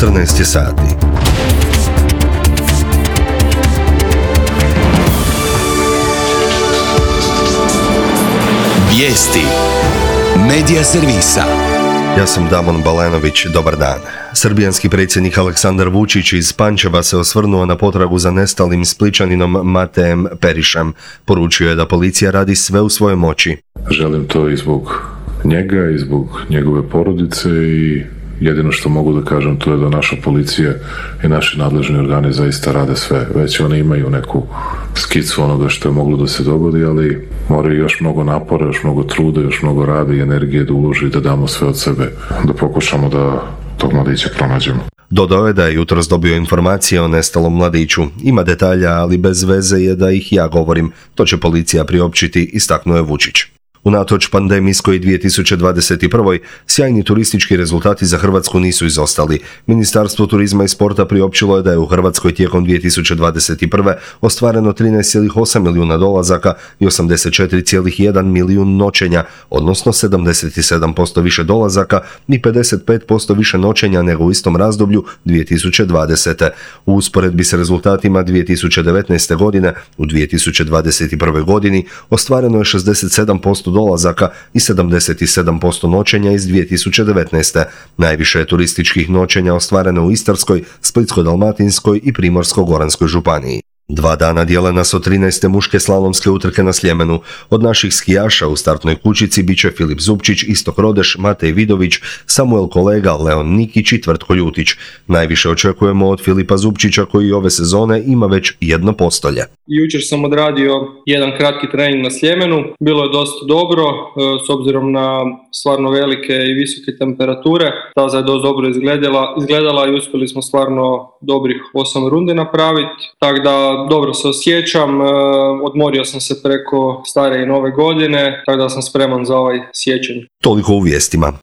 14 sati. Vijesti Medija servisa. Ja sam Damon Balenović, dobar dan. Srbijanski predsjednik Aleksandar Vučić iz Pančeva se osvrnuo na potragu za nestalim Spličaninom Matejem Perišem. Poručio je da policija radi sve u svojoj moći. Želim to i zbog njega i zbog njegove porodice i jedino što mogu da kažem to je da naša policija i naši nadležni organi zaista rade sve. Već oni imaju neku skicu onoga što je moglo da se dogodi, ali moraju još mnogo napora, još mnogo truda, još mnogo rada i energije da uloži i da damo sve od sebe, da pokušamo da tog mladića pronađemo. Dodao je da je jutros dobio informacije o nestalom mladiću. Ima detalja, ali bez veze je da ih ja govorim. To će policija priopćiti, istaknuo je Vučić. Unatoč pandemijskoj 2021. sjajni turistički rezultati za Hrvatsku nisu izostali. Ministarstvo turizma i sporta priopćilo je da je u Hrvatskoj tijekom 2021. ostvareno 13,8 milijuna dolazaka i 84,1 milijun noćenja, odnosno 77% više dolazaka i 55% više noćenja nego u istom razdoblju 2020. U usporedbi s rezultatima 2019. godine, u 2021. godini ostvareno je 67% dolazaka i 77% noćenja iz 2019. Najviše je turističkih noćenja ostvareno u Istarskoj, Splitsko-dalmatinskoj i Primorsko-goranskoj županiji. 2 dana dijele nas od 13. muške slalomske utrke na Sljemenu. Od naših skijaša u startnoj kućici bit će Filip Zupčić, Istok Rodeš, Matej Vidović, Samuel Kolega, Leon Nikić i Tvrtko Ljutić. Najviše očekujemo od Filipa Zupčića koji ove sezone ima već 1 postolje. Jučer sam odradio jedan kratki trening na Sljemenu. Bilo je dosta dobro, s obzirom na stvarno velike i visoke temperature. Staza je dosta dobro izgledala i uspjeli smo stvarno dobrih 8 rundi napraviti. Tako da dobro se osjećam, odmorio sam se preko stare i nove godine, tako da sam spreman za ovaj siječanj. Toliko u vijestima.